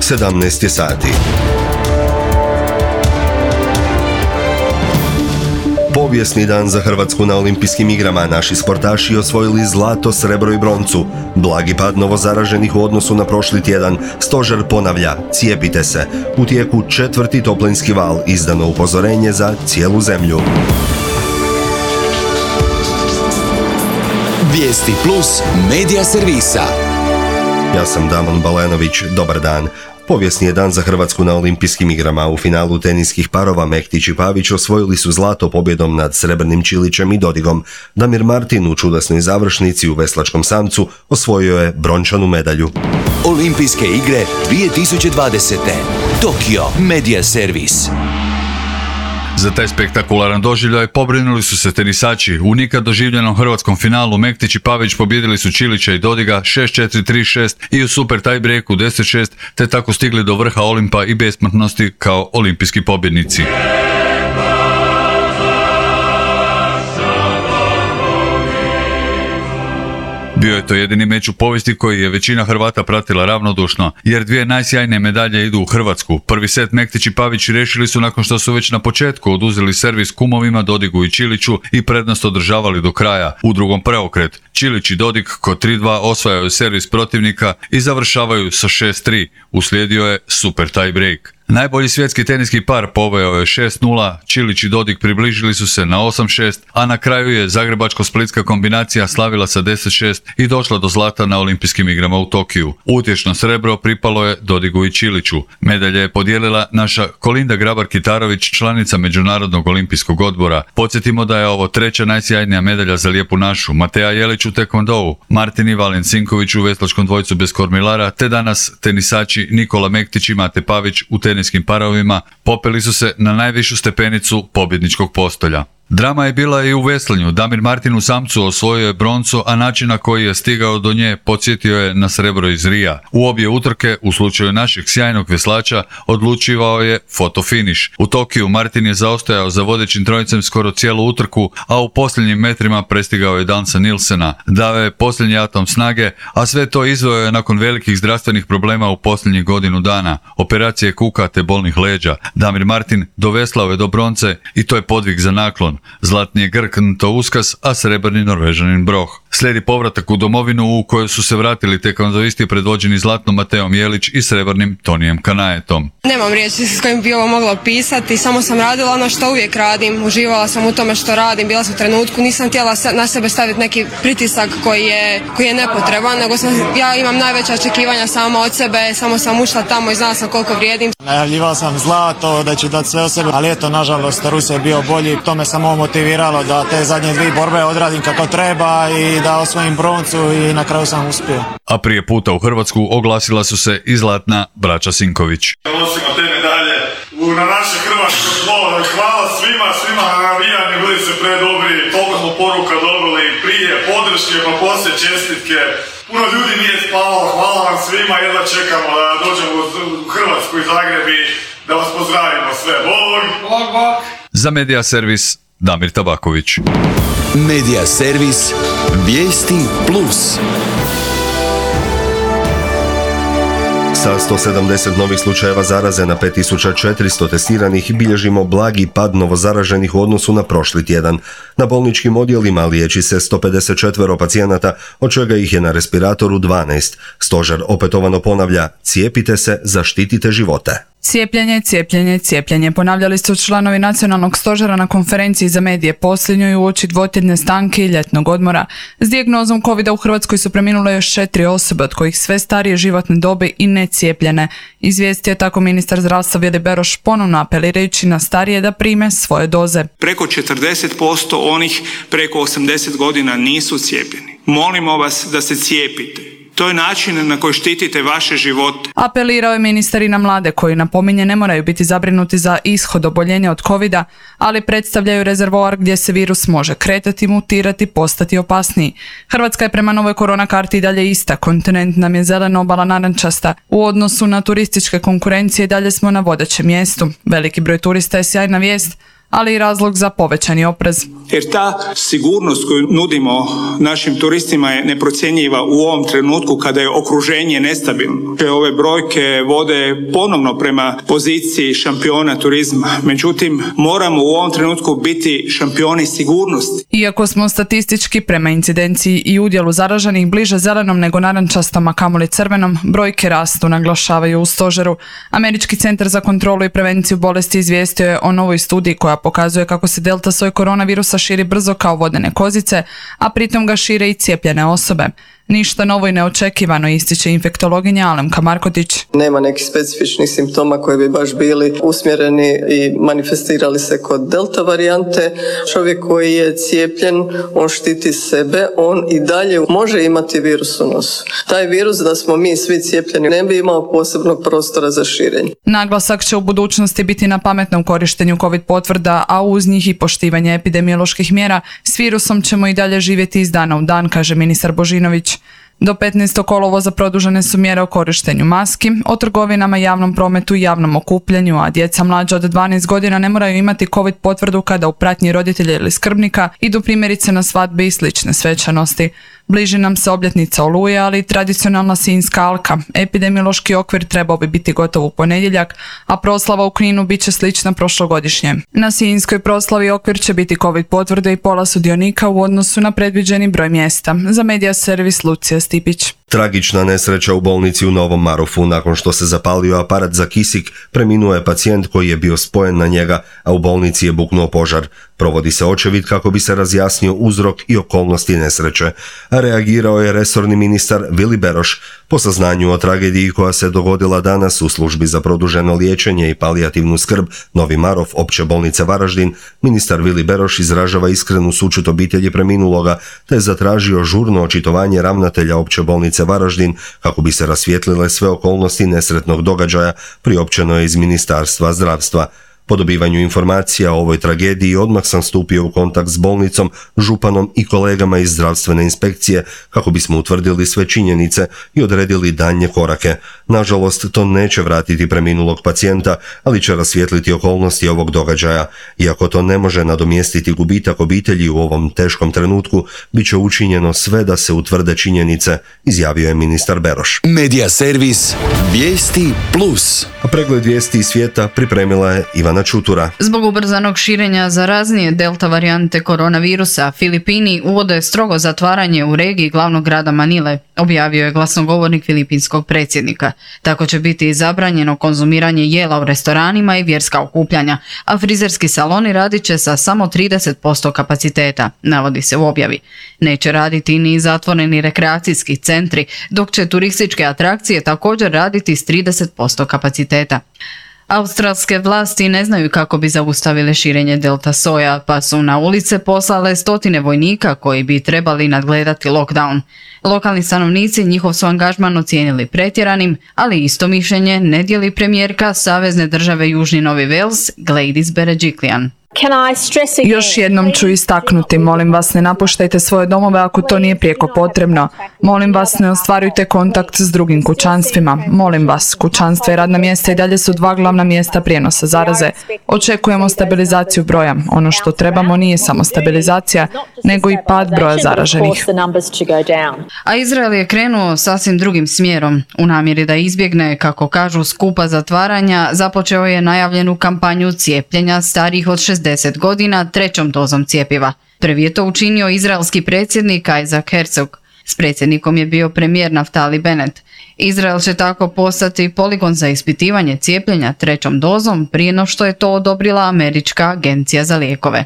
17 sati. Povijesni dan za Hrvatsku na olimpijskim igrama. Naši sportaši osvojili zlato, srebro i broncu. Blagi pad novozaraženih u odnosu na prošli tjedan. Stožer ponavlja, cijepite se. U tijeku 4. toplinski val, izdano upozorenje za cijelu zemlju. Vijesti plus medija servisa. Ja sam Damon Balenović, dobar dan. Povijesni je dan za Hrvatsku na olimpijskim igrama. U finalu teniskih parova Mektić i Pavić osvojili su zlato pobjedom nad Srebrnim Čilićem i Dodigom. Damir Martin u čudesnoj završnici u veslačkom samcu osvojio je brončanu medalju. Olimpijske igre 2020. Tokio Media Servis. Za taj spektakularan doživljaj pobrinuli su se tenisači. U nikad doživljenom hrvatskom finalu Mektić i Pavić pobijedili su Čilića i Dodiga 6-4, 3-6 i u super tiebreaku 10-6, te tako stigli do vrha Olimpa i besmrtnosti kao olimpijski pobjednici. Bio je to jedini meč u povijesti koji je većina Hrvata pratila ravnodušno, jer dvije najsjajnije medalje idu u Hrvatsku. Prvi set Mektić i Pavić riješili su nakon što su već na početku oduzeli servis kumovima Dodigu i Čiliću i prednost održavali do kraja. U drugom preokret, Čilić i Dodig kod 3-2 osvajaju servis protivnika i završavaju sa 6-3. Uslijedio je super tie break. Najbolji svjetski teniski par poveo je 6-0, Čilić i Dodig približili su se na 8-6, a na kraju je zagrebačko-splitska kombinacija slavila sa 10-6 i došla do zlata na olimpijskim igrama u Tokiju. Utješno srebro pripalo je Dodigu i Čiliću. Medalje je podijelila naša Kolinda Grabar-Kitarović, članica Međunarodnog olimpijskog odbora. Podsjetimo da je ovo treća najsjajnija medalja za lijepu našu. Mateja Jelić u tekvondou, Martin i Valin Sinković u veslačkom dvojcu bez kormilara, te danas tenisači Nikola Mektić i Mate Pavić u teniskim parovima popeli su se na najvišu stepenicu pobjedničkog postolja. Drama je bila i u veslanju. Damir Martin u samcu osvojio je broncu, a način na koji je stigao do nje podsjetio je na srebro iz Rija. U obje utrke, u slučaju našeg sjajnog veslača, odlučivao je fotofiniš. U Tokiju Martin je zaostajao za vodećim trojicem skoro cijelu utrku, a u posljednjim metrima prestigao je Dansa Nilsena. Dao je posljednji atom snage, a sve to izveo je nakon velikih zdravstvenih problema u posljednjih godinu dana, operacije kuka te bolnih leđa. Damir Martin doveslao je do bronce i to je podvig za naklon. Zlatni je Grk Nto Uskas, a srebrni Norvežanin Broh. Slijedi povratak u domovinu u kojoj su se vratili tekvondoisti predvođeni zlatnom Mateom Jelić i srebrnim Tonijem Kanajetom. Nemam riječi s kojim bi ovo mogla opisati, samo sam radila ono što uvijek radim, uživala sam u tome što radim, bila sam u trenutku, nisam htjela na sebe staviti neki pritisak koji je nepotreban, nego ja imam najveća očekivanja sama od sebe, samo sam ušla tamo i znala sam koliko vrijedim. Najavljivala sam zlato, da ću dati sve od sebe, ali eto, nažalost, Rus je bio bolji, to me samo motiviralo da te zadnje dvije borbe odradim kako treba i da osvojim broncu i na kraju sam uspio. A prije puta u Hrvatsku oglasila su se i zlatna braća Sinković. Nosimo te medalje na naše hrvatsko tlo. Hvala svima na navijanju, bili se predobri, toliko smo poruka dobili prije, podrške, pa poslije čestitke. Puno ljudi nije spavalo, hvala vam svima, jedva čekamo da dođemo u Hrvatsku i Zagreb i da vas pozdravimo sve. Bog! Za Media Servis Damir Tabaković. Media Servis Vijesti plus. Sa 170 novih slučajeva zaraze na 5400 testiranih bilježimo blagi pad novozaraženih u odnosu na prošli tjedan. Na bolničkim odjelima liječi se 154 pacijenata, od čega ih je na respiratoru 12. Stožer opetovano ponavlja, cijepite se, zaštitite živote. Cijepljenje, cijepljenje, cijepljenje. Ponavljali su članovi nacionalnog stožera na konferenciji za medije posljednjoj uoči dvotjedne stanke i ljetnog odmora. S dijagnozom covida u Hrvatskoj su preminule još 4 osobe, od kojih sve starije životne dobi i necijepljene. Izvijestio je tako ministar zdravstva Vili Beroš, ponovno apelirajući na starije da prime svoje doze. Preko 40% onih preko 80 godina nisu cijepljeni. Molimo vas da se cijepite. To je način na koji štitite vaše živote. Apelirao je ministar i na mlade koji, napominje, ne moraju biti zabrinuti za ishod oboljenja od covida, ali predstavljaju rezervoar gdje se virus može kretati, mutirati, postati opasniji. Hrvatska je prema novoj korona karti i dalje ista. Kontinent nam je zelena, obala narančasta. U odnosu na turističke konkurencije dalje smo na vodećem mjestu. Veliki broj turista je sjajna vijest, ali i razlog za povećani oprez. Jer ta sigurnost koju nudimo našim turistima je neprocjenjiva u ovom trenutku kada je okruženje nestabilno. Ove brojke vode ponovno prema poziciji šampiona turizma. Međutim, moramo u ovom trenutku biti šampioni sigurnosti. Iako smo statistički prema incidenciji i udjelu zaraženih bliže zelenom nego narančastom, a kamoli crvenom, brojke rastu, naglašavaju u stožeru. Američki centar za kontrolu i prevenciju bolesti izvijestio je o novoj studiji koja pokazuje kako se delta soj koronavirusa širi brzo kao vodene kozice, a pritom ga šire i cijepljene osobe. Ništa novo i neočekivano, ističe infektologinja Alemka Markotić. Nema nekih specifičnih simptoma koji bi baš bili usmjereni i manifestirali se kod delta varijante. Čovjek koji je cijepljen, on štiti sebe, on i dalje može imati virus u nosu. Taj virus, da smo mi svi cijepljeni, ne bi imao posebnog prostora za širenje. Naglasak će u budućnosti biti na pametnom korištenju COVID potvrda, a uz njih i poštivanje epidemioloških mjera. S virusom ćemo i dalje živjeti iz dana u dan, kaže ministar Božinović. Do 15. kolovoza produžene su mjere o korištenju maski, o trgovinama, javnom prometu i javnom okupljanju, a djeca mlađa od 12 godina ne moraju imati COVID potvrdu kada u pratnji roditelja ili skrbnika idu primjerice na svadbe i slične svečanosti. Bliži nam se obljetnica Oluje, ali i tradicionalna Sinjska alka. Epidemiološki okvir trebao bi biti gotov u ponedjeljak, a proslava u Kninu bit će slična prošlogodišnje. Na Sinjskoj proslavi okvir će biti COVID potvrde i pola sudionika u odnosu na predviđeni broj mjesta. Za Medija servis Lucija Stipić. Tragična nesreća u bolnici u Novom Marofu. Nakon što se zapalio aparat za kisik, preminuo je pacijent koji je bio spojen na njega, a u bolnici je buknuo požar. Provodi se očevid kako bi se razjasnio uzrok i okolnosti nesreće. A reagirao je resorni ministar Vili Beroš. Po saznanju o tragediji koja se dogodila danas u službi za produženo liječenje i palijativnu skrb Novi Marof Opće bolnice Varaždin, ministar Vili Beroš izražava iskrenu sućut obitelji preminuloga te je zatražio žurno očitovanje ravnatelja Opće bolnice Varaždin kako bi se rasvijetlile sve okolnosti nesretnog događaja, priopćeno je iz Ministarstva zdravstva. Po dobivanju informacija o ovoj tragediji odmah sam stupio u kontakt s bolnicom, županom i kolegama iz zdravstvene inspekcije kako bismo utvrdili sve činjenice i odredili daljnje korake. Nažalost, to neće vratiti preminulog pacijenta, ali će rasvijetliti okolnosti ovog događaja. Iako to ne može nadomjestiti gubitak obitelji u ovom teškom trenutku, bit će učinjeno sve da se utvrde činjenice, izjavio je ministar Beroš. Medija servis Vijesti Plus. A pregled vijesti iz svijeta pripremila je Ivana Čutura. Zbog ubrzanog širenja zaraznije delta varijante koronavirusa, Filipini uvode strogo zatvaranje u regiji glavnog grada Manile, objavio je glasnogovornik filipinskog predsjednika. Tako će biti zabranjeno konzumiranje jela u restoranima i vjerska okupljanja, a frizerski saloni radit će sa samo 30% kapaciteta, navodi se u objavi. Neće raditi ni zatvoreni rekreacijski centri, dok će turističke atrakcije također raditi s 30% kapaciteta. Australske vlasti ne znaju kako bi zaustavile širenje delta soja, pa su na ulice poslale stotine vojnika koji bi trebali nadgledati lockdown. Lokalni stanovnici njihov su angažman ocijenili pretjeranim, ali isto mišljenje ne dijeli premijerka Savezne države Južni Novi Wales, Gladys Berejiklian. Još jednom ću istaknuti, molim vas ne napuštajte svoje domove ako to nije prijeko potrebno. Molim vas ne ostvarujte kontakt s drugim kućanstvima. Molim vas, kućanstva i radna mjesta i dalje su dva glavna mjesta prijenosa zaraze. Očekujemo stabilizaciju broja. Ono što trebamo nije samo stabilizacija, nego i pad broja zaraženih. A Izrael je krenuo sasvim drugim smjerom. U namjeri da izbjegne, kako kažu, skupa zatvaranja, započeo je najavljenu kampanju cijepljenja starijih od 60 godina trećom dozom cjepiva. Prvi je to učinio izraelski predsjednik Isaac Herzog. S predsjednikom je bio premijer Naftali Bennett. Izrael će tako postati poligon za ispitivanje cijepljenja trećom dozom prije no što je to odobrila Američka agencija za lijekove.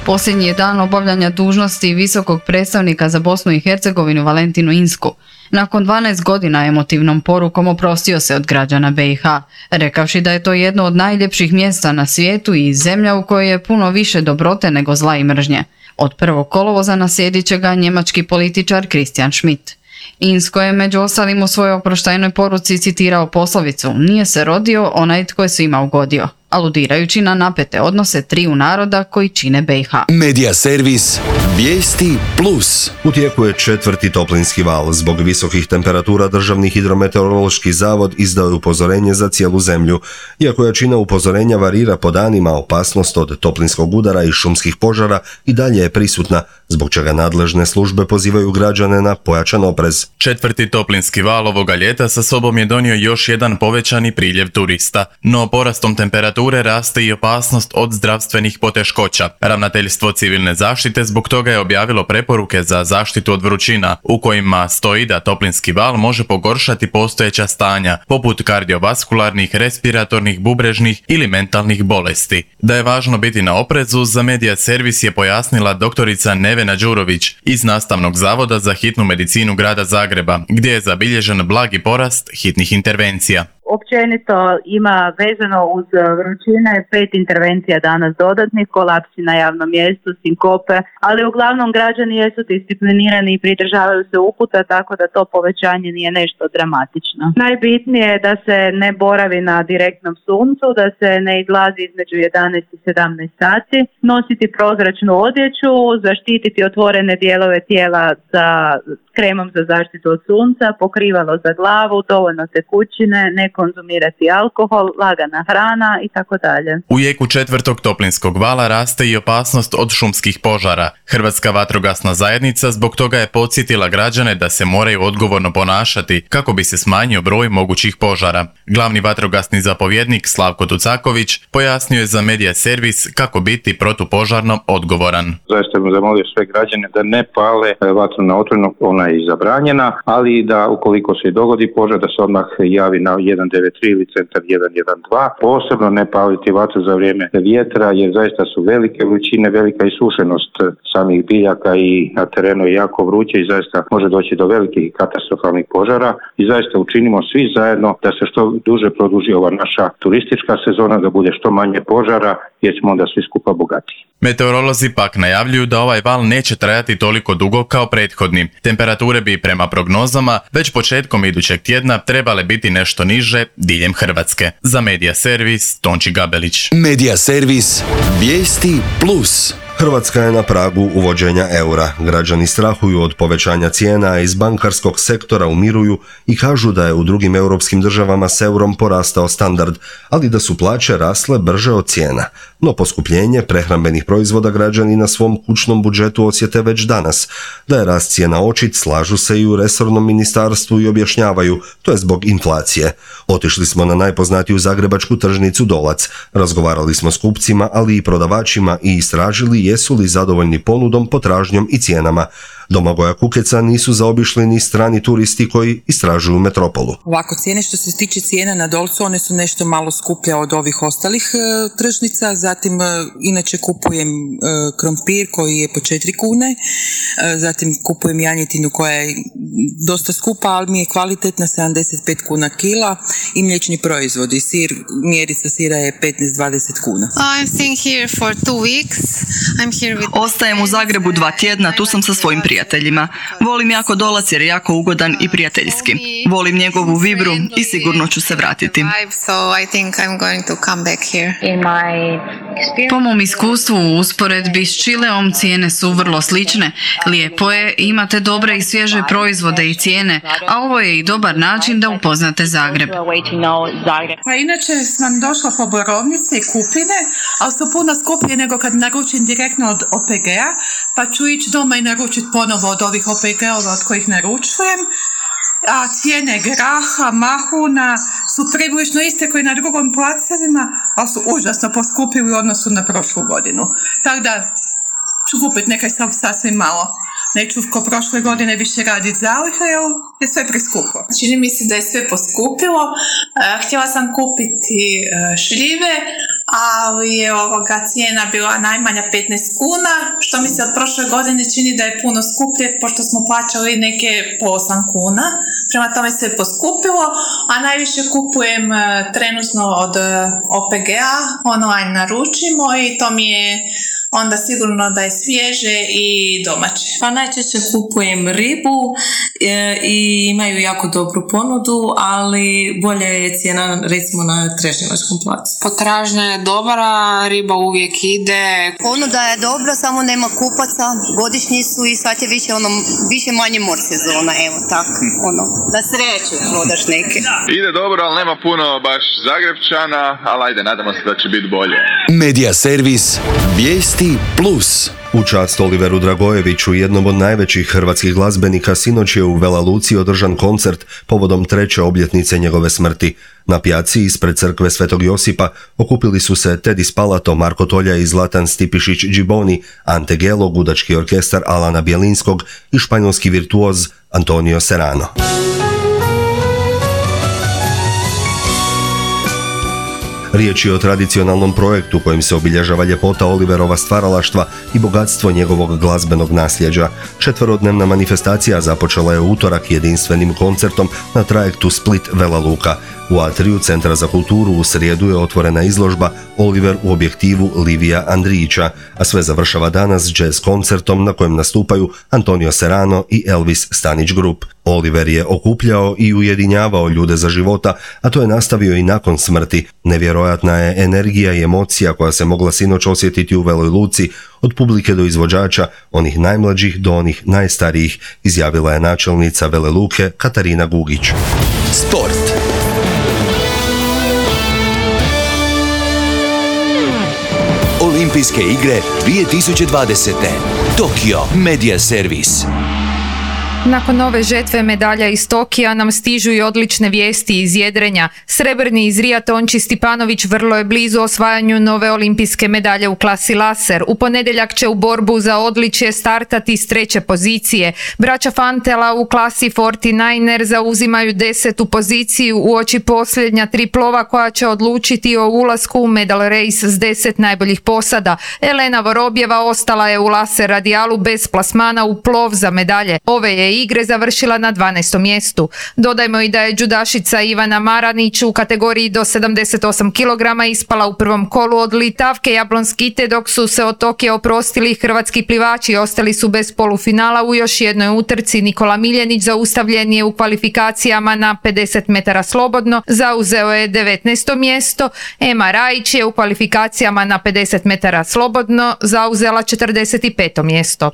Posljednji je dan obavljanja dužnosti visokog predstavnika za Bosnu i Hercegovinu Valentinu Insku. Nakon 12 godina emotivnom porukom oprostio se od građana BiH, rekavši da je to jedno od najljepših mjesta na svijetu i zemlja u kojoj je puno više dobrote nego zla i mržnje. Od 1. kolovoza naslijedit će ga njemački političar Christian Schmidt. Insko je među ostalim u svojoj oproštajnoj poruci citirao poslovicu: "Nije se rodio onaj tko je svima ugodio." aludirajući na napete odnose triju naroda koji čine BiH. Medija servis Vijesti Plus. U tijeku je 4. toplinski val. Zbog visokih temperatura Državni hidrometeorološki zavod izdao je upozorenje za cijelu zemlju. Iako jačina upozorenja varira po danima, opasnost od toplinskog udara i šumskih požara i dalje je prisutna, zbog čega nadležne službe pozivaju građane na pojačan oprez. 4. toplinski val ovoga ljeta sa sobom je donio još jedan povećani priljev turista, no porastom temperature raste i opasnost od zdravstvenih poteškoća. Ravnateljstvo civilne zaštite zbog toga je objavilo preporuke za zaštitu od vrućina, u kojima stoji da toplinski val može pogoršati postojeća stanja, poput kardiovaskularnih, respiratornih, bubrežnih ili mentalnih bolesti. Da je važno biti na oprezu, za Medija servis je pojasnila doktorica Nevena Đurović iz Nastavnog zavoda za hitnu medicinu grada Zagreba, gdje je zabilježen blagi porast hitnih intervencija. Općenito ima vezano uz vrućine 5 intervencija danas dodatnih, kolapsi na javnom mjestu, sinkope, ali uglavnom građani jesu disciplinirani i pridržavaju se uputa, tako da to povećanje nije nešto dramatično. Najbitnije je da se ne boravi na direktnom suncu, da se ne izlazi između 11 i 17 sati, nositi prozračnu odjeću, zaštititi otvorene dijelove tijela sa kremom za zaštitu od sunca, pokrivalo za glavu, dovoljno tekućine, ne konzumirati alkohol, lagana hrana i tako dalje. U jeku 4. toplinskog vala raste i opasnost od šumskih požara. Hrvatska vatrogasna zajednica zbog toga je podsjetila građane da se moraju odgovorno ponašati kako bi se smanjio broj mogućih požara. Glavni vatrogasni zapovjednik Slavko Tucaković pojasnio je za Medija servis kako biti protupožarno odgovoran. Zaista bih zamolio sve građane da ne pale vatru na otvoreno, ona je zabranjena, ali da ukoliko se dogodi požar da se odmah javi na 193 ili centar 112. Posebno ne paliti vatru za vrijeme vjetra, jer zaista su velike vrućine, velika isušenost samih biljaka i na terenu je jako vruće i zaista može doći do velikih katastrofalnih požara i zaista učinimo svi zajedno da se što duže produži ova naša turistička sezona, da bude što manje požara, jer ćemo onda svi skupa bogatiji. Meteorolozi pak najavljuju da ovaj val neće trajati toliko dugo kao prethodni. Temperature bi prema prognozama već početkom idućeg tjedna trebale biti nešto niže diljem Hrvatske. Za Medija servis Tonči Gabelić. Medija servis Vijesti Plus. Hrvatska je na pragu uvođenja eura. Građani strahuju od povećanja cijena, a iz bankarskog sektora umiruju i kažu da je u drugim europskim državama s eurom porastao standard, ali da su plaće rasle brže od cijena. No poskupljenje prehrambenih proizvoda građani na svom kućnom budžetu osjete već danas. Da je rast cijena očit, slažu se i u resornom ministarstvu i objašnjavaju, to je zbog inflacije. Otišli smo na najpoznatiju zagrebačku tržnicu Dolac. Razgovarali smo s kupcima, ali i prodavačima i istražili jesu li zadovoljni ponudom, potražnjom i cijenama. Domagoja Kukeca nisu zaobišli ni strani turisti koji istražuju metropolu. Ovako, cijene što se tiče cijena na Dolcu, one su nešto malo skuplje od ovih ostalih tržnica. Zatim, inače kupujem krompir koji je po 4 kune. Zatim kupujem janjetinu koja je dosta skupa, ali mi je kvalitetna, 75 kuna kila. I mliječni proizvodi, sir, mjerica sira je 15-20 kuna. Ostajem u Zagrebu 2 tjedna, tu sam sa svojim prijateljima. Volim jako Dolac jer je jako ugodan i prijateljski. Volim njegovu vibru i sigurno ću se vratiti. Po mom iskustvu u usporedbi s Čileom cijene su vrlo slične. Lijepo je, imate dobre i svježe proizvode i cijene, a ovo je i dobar način da upoznate Zagreb. Pa inače sam došla po borovnice i kupine, ali su puno skuplje nego kad naručim direktno od OPG-a, pa ću ići doma i naručiti ponovo od ovih OPG-ova od kojih naručujem. A cijene graha, mahuna su približno iste koji na drugom placevima, ali su užasno poskupili u odnosu na prošlu godinu. Tako da ću kupiti nekaj sasvim malo. Neću ko prošle godine više raditi zalihe jer je sve preskupo. Čini mi se da je sve poskupilo. Htjela sam kupiti šljive, ali je cijena bila najmanja 15 kuna, što mi se od prošle godine čini da je puno skuplje, pošto smo plaćali neke po 8 kuna. Prema tome se poskupilo, a najviše kupujem trenutno od OPG-a, online naručimo i to mi je onda sigurno da je svježe i domaće. Pa najčešće kupujem ribu i imaju jako dobru ponudu, ali bolje je cijena recimo na Trešnjevačkom placu. Potražnja je dobra, riba uvijek ide. Ponuda je dobra, samo nema kupaca, godišnji su i sad je više manje mor sezona, evo tako, da sreću prodaš neke. Ide dobro, ali nema puno baš Zagrepčana, ali ajde, nadamo se da će biti bolje. Medija servis Vijesti Plus. U čast Oliveru Dragojeviću, jednom od najvećih hrvatskih glazbenika, sinoć je u Vela Luci održan koncert povodom 3. obljetnice njegove smrti. Na pijaci ispred crkve Svetog Josipa okupili su se Tedi Spalato, Marko Tolja i Zlatan Stipišić Džiboni, Ante Gelo, gudački orkestar Alana Bjelinskog i španjolski virtuoz Antonio Serrano. Riječ je o tradicionalnom projektu kojim se obilježava ljepota Oliverova stvaralaštva i bogatstvo njegovog glazbenog nasljeđa. 4-dnevna manifestacija započela je u utorak jedinstvenim koncertom na trajektu Split-Vela Luka. U atriju Centra za kulturu u srijedu je otvorena izložba Oliver u objektivu Livija Andrijića, a sve završava danas jazz koncertom na kojem nastupaju Antonio Serrano i Elvis Stanić Group. Oliver je okupljao i ujedinjavao ljude za života, a to je nastavio i nakon smrti. Nevjerojatna je energija i emocija koja se mogla sinoć osjetiti u Veloj Luci, od publike do izvođača, onih najmlađih do onih najstarijih, izjavila je načelnica Vele Luke Katarina Gugić. Sport. Olimpijske igre 2020. Tokio Medija servis. Nakon ove žetve medalja iz Tokija nam stižu i odlične vijesti iz jedrenja. Srebrni iz Rija Tonči Stipanović vrlo je blizu osvajanju nove olimpijske medalje u klasi laser. U ponedjeljak će u borbu za odličje startati s 3. pozicije. Braća Fantela u klasi 49er zauzimaju 10. poziciju uoči posljednja 3 plova koja će odlučiti o ulasku u medal race s 10 najboljih posada. Elena Vorobjeva ostala je u laser radijalu bez plasmana u plov za medalje. Ove je igre završila na 12. mjestu. Dodajmo i da je džudašica Ivana Maranić u kategoriji do 78 kg ispala u prvom kolu od Litavke Jablonskite, dok su se od Tokija oprostili hrvatski plivači. Ostali su bez polufinala u još jednoj utrci. Nikola Miljenić zaustavljen je u kvalifikacijama na 50 metara slobodno, zauzeo je 19. mjesto. Ema Rajić je u kvalifikacijama na 50 metara slobodno zauzela 45. mjesto.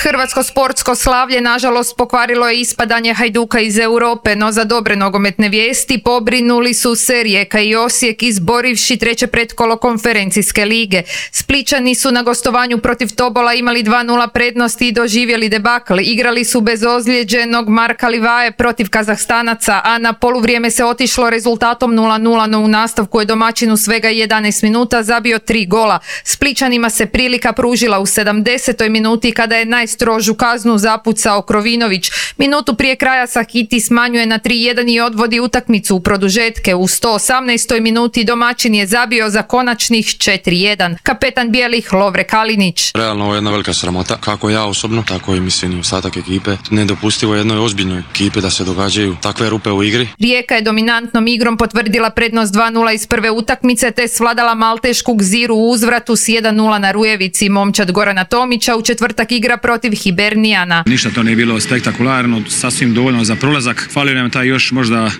Hrvatsko sportsko slavlje nažalost pokvarilo je ispadanje Hajduka iz Europe, no za dobre nogometne vijesti pobrinuli su se Rijeka i Osijek izborivši 3. pretkolo konferencijske lige. Splićani su na gostovanju protiv Tobola imali 2:0 prednosti i doživjeli debakl. Igrali su bez ozlijeđenog Marka Livaje protiv Kazahstanaca, a na poluvrijeme se otišlo rezultatom 0:0, no u nastavku je domaćin u svega 11 minuta zabio 3 gola. Splićanima se prilika pružila u 70. minuti kada je najstrožu kaznu zapucao Krovinović. Minutu prije kraja Sakiti smanjuje na 3:1 i odvodi utakmicu u produžetke. U 118. minuti domaćin je zabio za konačnih 4:1. Kapetan bijelih Lovre Kalinić. Realno ovo je jedna velika sramota, kako ja osobno, tako i mislim i ostatak ekipe. Nedopustivo jednoj ozbiljnoj ekipi da se događaju takve rupe u igri. Rijeka je dominantnom igrom potvrdila prednost 2:0 iz prve utakmice te svladala maltešku Gziru u uzvratu s 1:0 na Rujevici. Momčad Gorana Tomića u četvrtak igra protiv Hibernijana. Ništa to nije bilo spektakularno, sasvim dovoljno za prolazak. Falio nam taj još možda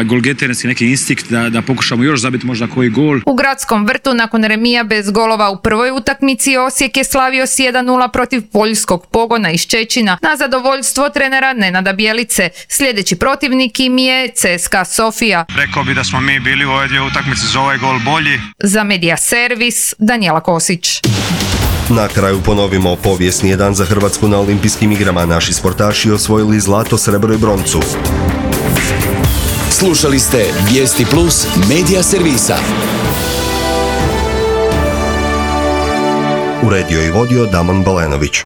golgeterski neki instinkt da pokušamo još zabiti možda koji gol. U Gradskom vrtu nakon remija bez golova u prvoj utakmici Osijek je slavio s 1:0 protiv poljskog Pogona iz Čečina na zadovoljstvo trenera Nenada Bjelice. Sljedeći protivnik im je CSKA Sofija. Rekao bi da smo mi bili u ove dvije utakmice za ovaj gol bolji. Za Medija servis Danijela Kosić. Na kraju ponovimo, povijesni je dan za Hrvatsku na olimpijskim igrama. Naši sportaši osvojili zlato, srebro i broncu. Slušali ste Vijesti Plus Medija servisa. Uredio i vodio Damon Balenović.